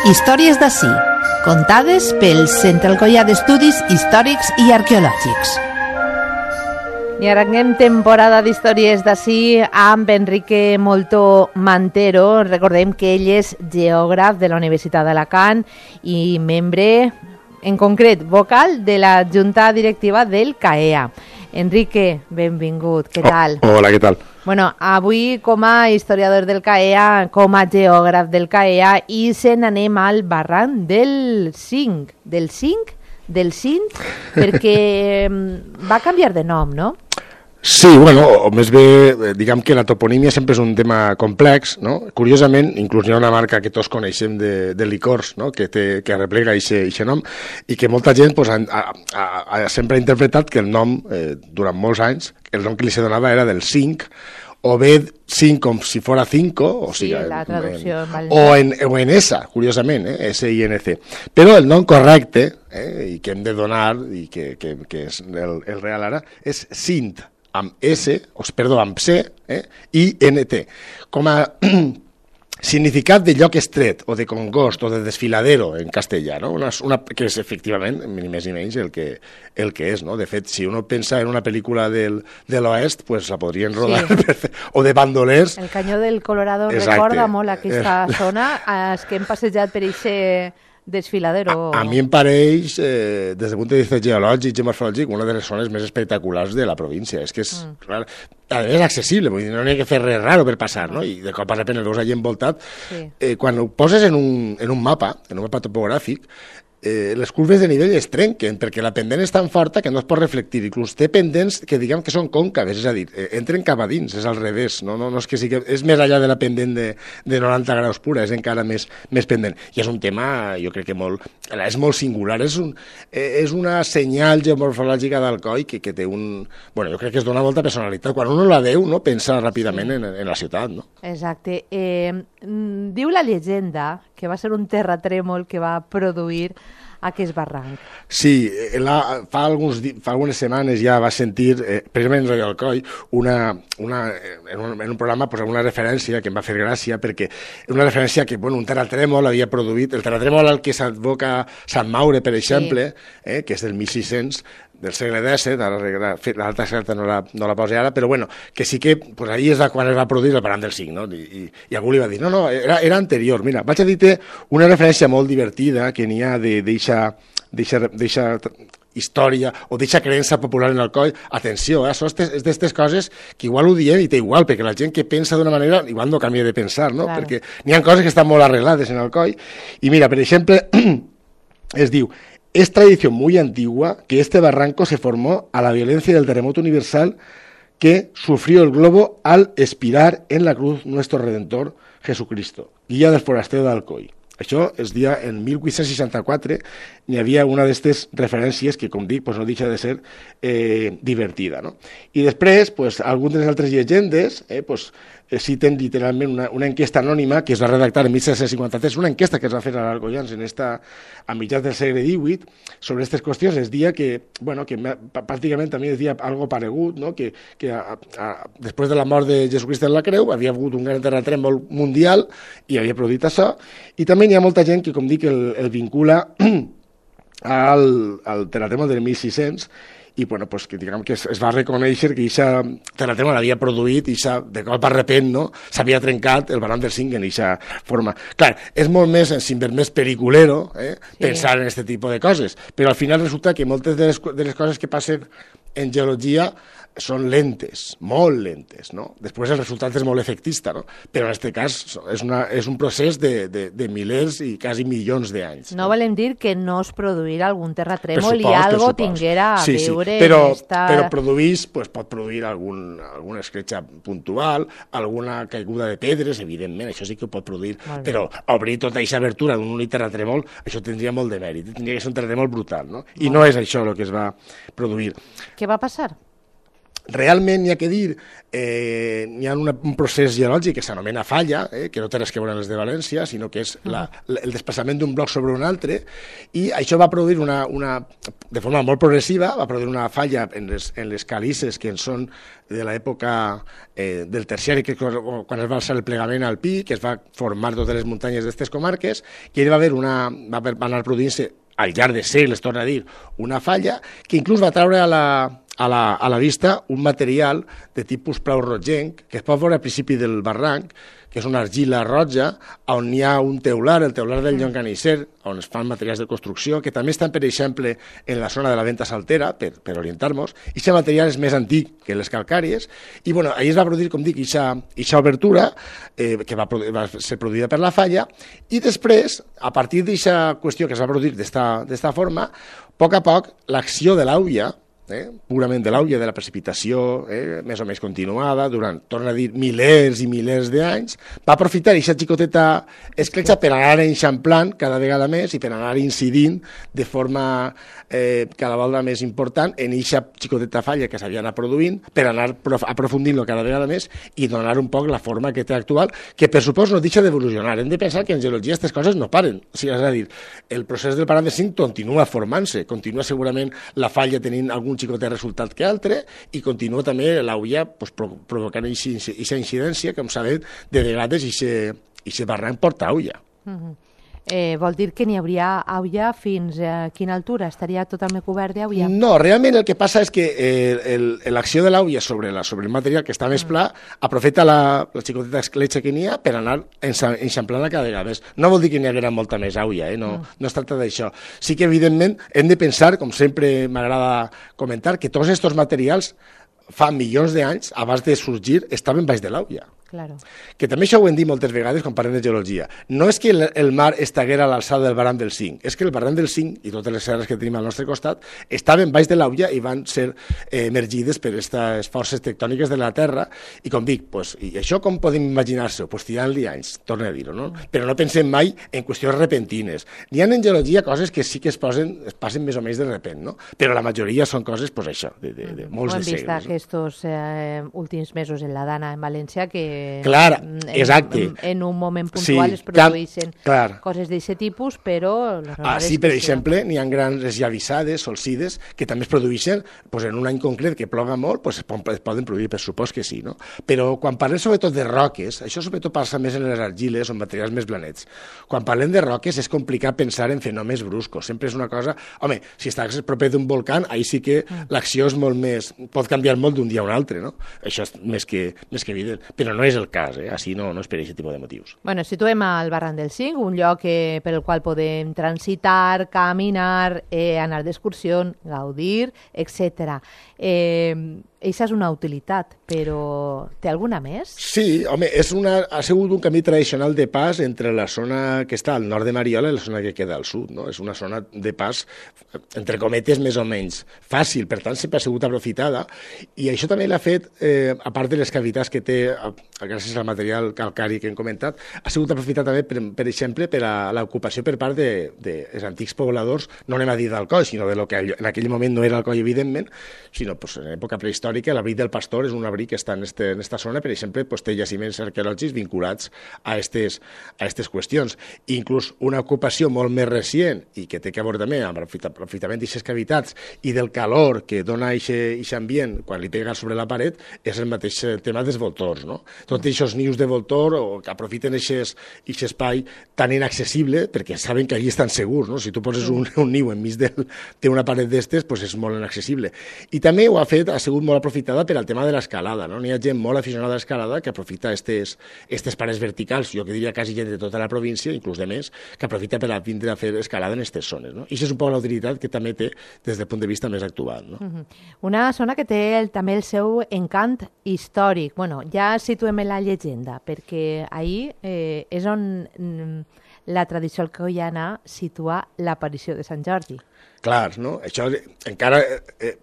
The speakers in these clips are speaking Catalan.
Històries d'ací, contades pel Centre Alcoià d'Estudis Històrics i Arqueològics. I ara anem temporada d'històries d'ací amb Enrique Moltó Mantero. Recordem que ell és geògraf de la Universitat d'Alacant i membre, en concret, vocal de la Junta Directiva del CAEA. Enrique, benvingut, què tal? Hola, què tal? Bueno, avui com a historiador del CAEA, com a geògraf del CAEA, i se n'anem al barranc del Cinc. Del Cinc? Del Cinc? Perquè va canviar de nom, no? Sí, bueno, o més bé, diguem que la toponímia sempre és un tema complex, no? Curiosament, inclús hi ha una marca que tots coneixem de licors, no? que replega aquest nom, i que molta gent pues, sempre ha interpretat que el nom, durant molts anys, el nom que li se donava era del Cinc, o bé cinc com si fora cinco, o sigui, la traducció o en esa, curiosament, S-I-N-C. Però el nom correcte, i que hem de donar, i que és el real ara, és Sint, amb S, amb C, i N-T. Com a significat de lloc estret, o de congost, o de desfiladero, en castellà, no? Que és, efectivament, ni més ni menys el que és, no? De fet, si uno pensa en una pel·lícula de l'oest, pues la podrien rodar, sí. O de bandolers. El Canyó del Colorado recorda molt aquesta zona, els que hem passejat per aquest desfiladero. A mi em pareix, des del punt de vista geològic i morfològic, una de les zones més espectaculars de la província. És que és, clar, és accessible, vull dir, no n'hi ha que fer res raro per passar, no? I de cop a repent el veus allà envoltat. Sí. Quan ho poses en un mapa topogràfic, les curves de nivell es trenquen perquè la pendent és tan forta que no es pot reflectir, inclús té pendents que diguem que són còncaves, és a dir, entren cap a dins, és al revés, no és que sigui, és més allà de la pendent de 90 graus pura, és encara més pendent, i és un tema, jo crec que és molt singular, és una senyal geomorfològica d'Alcoi que té bueno, jo crec que es dona molta personalitat, quan uno la veu, no, pensa ràpidament en la ciutat, no? Exacte. Diu la llegenda que va ser un terratrèmol que va produir aquest barranc. Sí, fa algunes setmanes ja va sentir, precisament en Radio Alcoi, en un programa, pues, una referència que em va fer gràcia, perquè una referència que, bueno, un terratrèmol havia produït, el terratrèmol al que s'advoca Sant Maure, per exemple, sí. Que és del 1600, del segle XVII, l'altra certa no la posa ara, però bueno, que sí que pues, ahir és quan es va produir el barranc del Cinc, no? I algú li va dir, no, era anterior. Mira, vaig a dir-te una referència molt divertida que n'hi ha d'eixa història o d'eixa creença popular en Alcoi. Atenció, és d'aquestes coses que igual ho diem i té igual, perquè la gent que pensa d'una manera igual no canvia de pensar, no? Claro. Perquè n'hi ha coses que estan molt arreglades en Alcoi. I mira, per exemple, es diu: es tradición muy antigua que este barranco se formó a la violencia del terremoto universal que sufrió el globo al expirar en la cruz nuestro Redentor Jesucristo, guia del forastero d'Alcoi. Això es dia en 1864, n'hi havia una d'aquestes referències que, com dic, pues no deixa de ser divertida, no? I després, pues, algunes de les altres llegendes, citen literalment una enquesta anònima que es va redactar en 1753, una enquesta que es va fer a l'Alcoians a mitjans del segle XVIII sobre aquestes qüestions. Es dia que pràcticament també es dia algo paregut, no? que després de la mort de Jesucrist en la creu havia hagut un gran terratrèmol mundial i havia produït això, i també hi ha molta gent que, com dic, el vincula al terratrèmol del 1600, i bueno, pues, que, diguem, que es va reconèixer que aquest terratrèmol l'havia produït i de cop a repent, no? S'havia trencat el barranc del Cinc en aquesta forma. Clar, és molt més periculero pensar en aquest tipus de coses, però al final resulta que moltes de les coses que passen en geologia són lentes, molt lentes, no? Després el resultat és molt efectista, no? Però en aquest cas és un procés de milers i quasi milions d'anys. No volem dir que no es produirà algun terratrèmol i algo tinguera a veure però produís, pot produir alguna escletxa puntual, alguna caiguda de pedres, evidentment, això sí que ho pot produir, però obrir tota aquesta abertura d'un únic terratrèmol, això tindria molt de mèrit, tindria que ser un terratrèmol brutal, no? I no és això el que es va produir. Què va passar? realment n'hi ha que dir, n'hi ha un procés geològic que s'anomena falla, que no té res que veure amb els de València, sinó que és el desplaçament d'un bloc sobre un altre, i això va produir de forma molt progressiva, va produir una falla en les calices que en són de l'època del terciari, que quan es va alçar el plegament alpí, que es va formar totes les muntanyes d'aquestes comarques, que va anar produint-se al llarg de segles, torna a dir, una falla que inclús va treure a la vista un material de tipus plau rogenc que es pot veure al principi del barranc, que és una argila roja, on hi ha un teular, el teular del Llonganisser, on es fan materials de construcció, que també estan, per exemple, en la zona de la Venta Saltera, per orientar-nos, i aquest material és més antic que les calcàries, i bueno, ahir es va produir, com dic, aquesta obertura, que va ser produïda per la falla, i després, a partir d'aquesta qüestió que es va produir d'esta forma, a poc, l'acció de l'àuia, purament de l'àuia, de la precipitació, més o menys continuada, durant, torna a dir, milers i milers d'anys, va aprofitar aquesta xicoteta escletxa per anar enxamplant cada vegada més i per anar incidint de forma cada volta més important en aquesta xicoteta falla que s'havia anat produint, per anar aprofundint-lo cada vegada més i donar un poc la forma que té actual, que per supòs no deixa d'evolucionar. Hem de pensar que en geologia aquestes coses no paren. O sigui, és a dir, el procés del parant de zinc continua formant-se, continua segurament la falla tenint algun xicot de resultat que altre, i continua també l'àuia provocant aquesta incidència, com sabem, de vegades aquest barranc porta àuia. Vol dir que n'hi hauria àuia fins a quina altura? Estaria totalment cobert d'àuia? No, realment el que passa és que l'acció de l'àuia sobre el material que està més pla aprofita la xicoteta escletxa que n'hi ha per anar enxamplant-la cada vegada més. No vol dir que n'hi haguera molta més àuia, no es tracta d'això. Sí que, evidentment, hem de pensar, com sempre m'agrada comentar, que tots aquests materials fa milions d'anys, abans de sorgir, estaven baix de l'àuia. Claro. Que també això ho hem dit moltes vegades quan parlem de geologia. No és que el mar estaguera a l'alçada del barranc del Cinc, és que el barranc del Cinc i totes les serres que tenim al nostre costat estaven baix de l'àuia i van ser emergides per aquestes forces tectòniques de la Terra, i com dic, i això com podem imaginar-se-ho? Tirant-li anys, torno a dir-ho, no? Però no pensem mai en qüestions repentines. N'hi ha en geologia coses que sí que passen més o menys de repent, no? Però la majoria són coses, això, de molts de segles. Ho hem vist aquests últims mesos en la Dana, en València, que clar, exacte. En un moment puntual es produeixen coses d'aquest tipus, però... Sí, per exemple, n'hi ha grans esllavissades, solsides, que també es produeixen en un any concret que ploga molt, es poden produir, per supòs que sí, no? Però quan parlem sobretot de roques, això sobretot passa més en les argiles o en materials més blanets. Quan parlem de roques és complicat pensar en fenòmens bruscos, sempre és una cosa... Home, si estàs proper d'un volcà, ahí sí que l'acció és molt més... pot canviar molt d'un dia a un altre, no? Això és més que evident, però no és el cas, així no és per aquest tipus de motius. Bueno, situem al barranc del Cinc, un lloc per el qual podem transitar, caminar, anar d'excursió, gaudir, etc. Eixa és una utilitat, però té alguna més? Sí, home, ha sigut un camí tradicional de pas entre la zona que està al nord de Mariola i la zona que queda al sud, no? És una zona de pas, entre cometes, més o menys fàcil, per tant, sempre ha sigut aprofitada, i això també l'ha fet, a part de les cavitats que té, gràcies al material calcari que hem comentat, ha sigut aprofitat també, per exemple, per a l'ocupació per part dels antics pobladors, no anem a dir d'Alcoi, sinó de lo que en aquell moment no era Alcoi, evidentment, sinó en època prehistòrica. L'abric del Pastor és un abric que està en esta zona, per exemple, té jaciments arqueològics vinculats a aquestes qüestions. Inclús una ocupació molt més recent, i que té a veure també amb l'aprofitament d'aquestes cavitats i del calor que dona aquest ambient quan li pega sobre la paret, és el mateix tema dels voltors, no? Tots aquests nius de voltor que aprofiten aquest espai tan inaccessible, perquè saben que allí estan segurs, no? Si tu poses un niu enmig d'una paret d'estes, és molt inaccessible. I també ha sigut molt aprofitada per al tema de l'escalada, no? N'hi ha gent molt aficionada a l'escalada que aprofita aquestes parets verticals, jo que diria quasi gent de tota la província, inclús de més, que aprofita per vindre a fer escalada en aquestes zones, no? I això és un poc la utilitat que també té des del punt de vista més actual, no? Una zona que té també el seu encant històric. Bueno, ja situem en la llegenda, perquè ahir és on la tradició alcoiana situa l'aparició de Sant Jordi. clars, no? Això encara,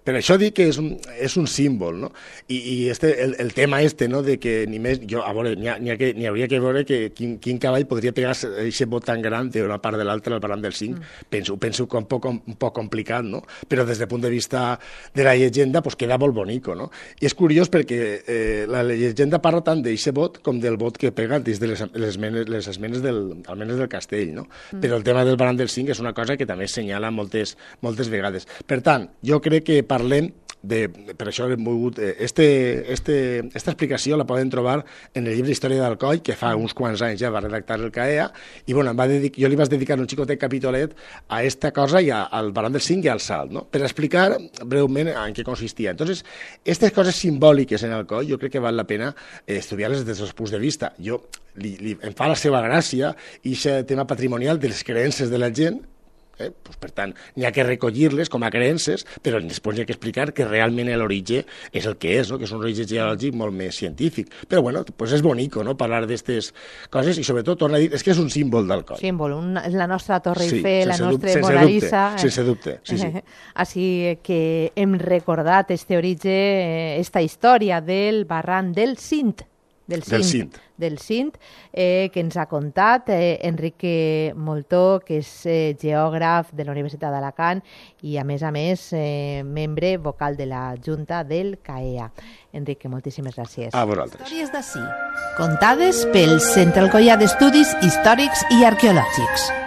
per això dic que és un símbol, no? I el tema no? De que ni més, jo, a veure, n'hi hauria que veure que quin cavall podria pegar aquest bot tan gran d'una part de l'altra al barranc del 5. Penso que un poc complicat, no? Però des del punt de vista de la llegenda, pues queda molt bonico, no? I és curiós perquè la llegenda parla tant d'aquest bot com del bot que pega des de les esmenes almenys del castell, no? Però el tema del barranc del 5 és una cosa que també assenyala moltes vegades. Per tant, jo crec que parlem per això hem volgut... Esta explicació la poden trobar en el llibre d'Història d'Alcoi, que fa uns quants anys ja va redactar el CAEA, i bueno, jo li vaig dedicar un xicotet capitolet a esta cosa i al barranc del 5 i al salt, no? Per explicar breument en què consistia. Entonces, aquestes coses simbòliques en Alcoi jo crec que val la pena estudiar-les des dels punts de vista. Em fa la seva gràcia i aquest tema patrimonial de les creences de la gent. Pues, per tant, n'hi ha que recollir-les com a creences, però després n'hi ha que explicar que realment l'origen és el que és, no? Que és un origen geològic molt més científic. Però bueno, pues és bonico, no? Parlar d'aquestes coses i sobretot, torna a dir, és que és un símbol d'Alcoi. Símbol, la nostra Torre Eiffel, la nostra Mona Lisa. Sense dubte, sí. Així que hem recordat este origen, esta història del barranc del Cint, que ens ha contat Enrique Moltó, que és geògraf de la Universitat d'Alacant i, a més, membre vocal de la Junta del CAEA. Enrique, moltíssimes gràcies. A vosaltres. Històries d'ací, contades pel Centre Alcoià d'Estudis Històrics i Arqueològics.